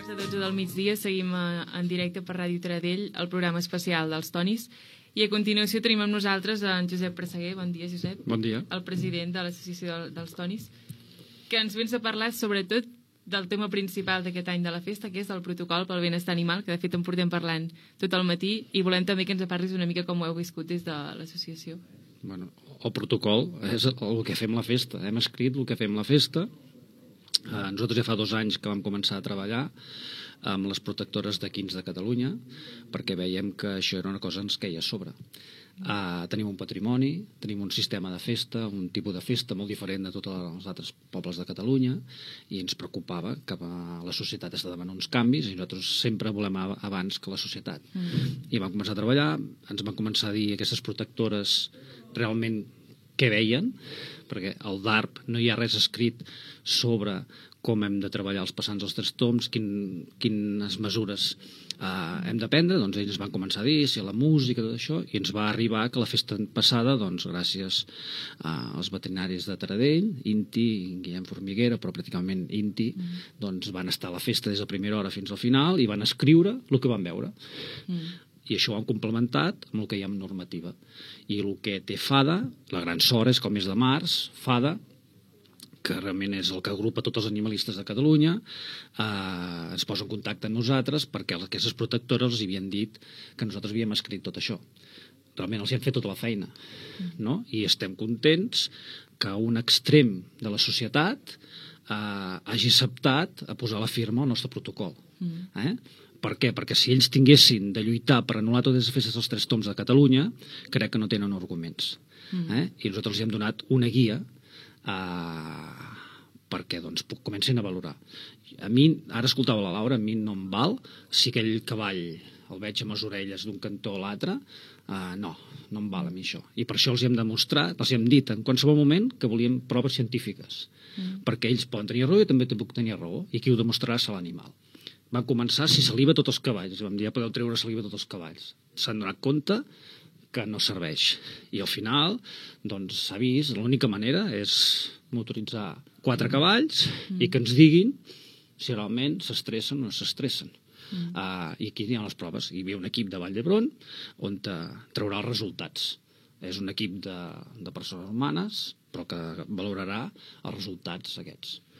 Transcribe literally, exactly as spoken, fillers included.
quarts de dotze del migdia seguim en directe per Ràdio Taradell el programa especial dels Tonis i a continuació tenim amb nosaltres en Josep Presseguer. Bon dia, Josep. Bon dia. El president de l'Associació dels Tonis, que ens vens a parlar sobretot del tema principal d'aquest any de la festa, que és el protocol pel benestar animal, que de fet en portem parlant tot el matí, i volem també que ens parlis una mica com ho heu viscut des de l'associació. Bueno, el protocol és el que fem la festa. Hem escrit el que fem la festa. Eh, nosaltres ja fa dos anys que vam començar a treballar amb les protectores d'equins de Catalunya perquè veiem que això era una cosa que ens queia a sobre. Uh, tenim un patrimoni, tenim un sistema de festa, un tipus de festa molt diferent de tots els altres pobles de Catalunya, i ens preocupava que la societat està demanant uns canvis i nosaltres sempre volem abans que la societat. Mm. I vam començar a treballar, ens van començar a dir aquestes protectores realment què veien, perquè al D A R P no hi ha res escrit sobre com hem de treballar els passants als tres toms, quin, quines mesures uh, hem de prendre. Doncs ells van començar a dir si la música, tot això, i ens va arribar que la festa passada, doncs gràcies uh, als veterinaris de Taradell, Inti i Guillem Formiguera, però pràcticament Inti, mm. doncs van estar a la festa des de primera hora fins al final i van escriure el que van veure. Mm. I això ho han complementat amb el que hi ha en normativa. I el que té FADA, la gran sort és que el mes de març, FADA, que realment és el que agrupa tots els animalistes de Catalunya, eh, ens posa en contacte amb nosaltres perquè aquestes protectores els havien dit que nosaltres havíem escrit tot això. Realment els hi hem fet tota la feina, no? I estem contents que un extrem de la societat eh, hagi acceptat a posar la firma al nostre protocol. Eh? Per què? Perquè si ells tinguessin de lluitar per anul·lar totes les festes dels tres toms de Catalunya, crec que no tenen arguments. Eh? I nosaltres els hem donat una guia Uh, perquè doncs, comencin a valorar. A mi, ara escoltava la Laura, a mi no em val si aquell cavall el veig amb les orelles d'un cantó a l'altre, uh, no, no em val a mi això. I per això els hem demostrat, els hem dit en qualsevol moment que volíem proves científiques, mm. perquè ells poden tenir raó i també puc tenir raó, i qui ho demostrarà serà l'animal. Van començar si saliva tots els cavalls, vam dir ja podeu treure saliva tots els cavalls. S'han donat compte que no serveix. I al final, doncs, s'ha vist, l'única manera és motoritzar quatre cavalls mm. i que ens diguin si realment s'estressen o no s'estressen. Mm. Uh, I aquí hi ha les proves. Hi havia un equip de Vall d'Hebron on traurà els resultats. És un equip de, de persones humanes, però que valorarà els resultats aquests.